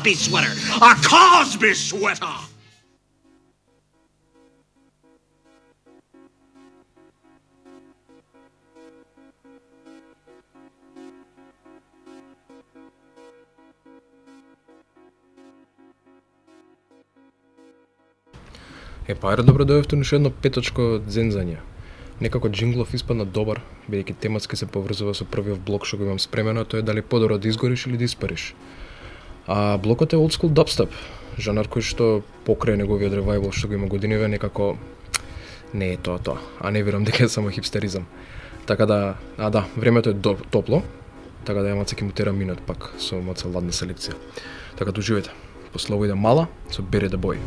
Cosby sweater. A Cosby sweater. Ајде добро дојдовте уште едно петочко зензање. Некако джинглов испадна добар, бидејќи тематски се поврзува со првиот блок што го имам спремено, тоа е дали подобро да изгориш или да испариш. А блокот е old school dubstep, жанр кој што покрај неговиот ревајвал што го има годиниве некако не е тоа, а не верувам дека е само хипстеризам. Така да, времето е топло, така да ја маца ќе му тера минут пак со маца ладна селекција. Така да уживајте. После ово иде Мала со Bury the Boy.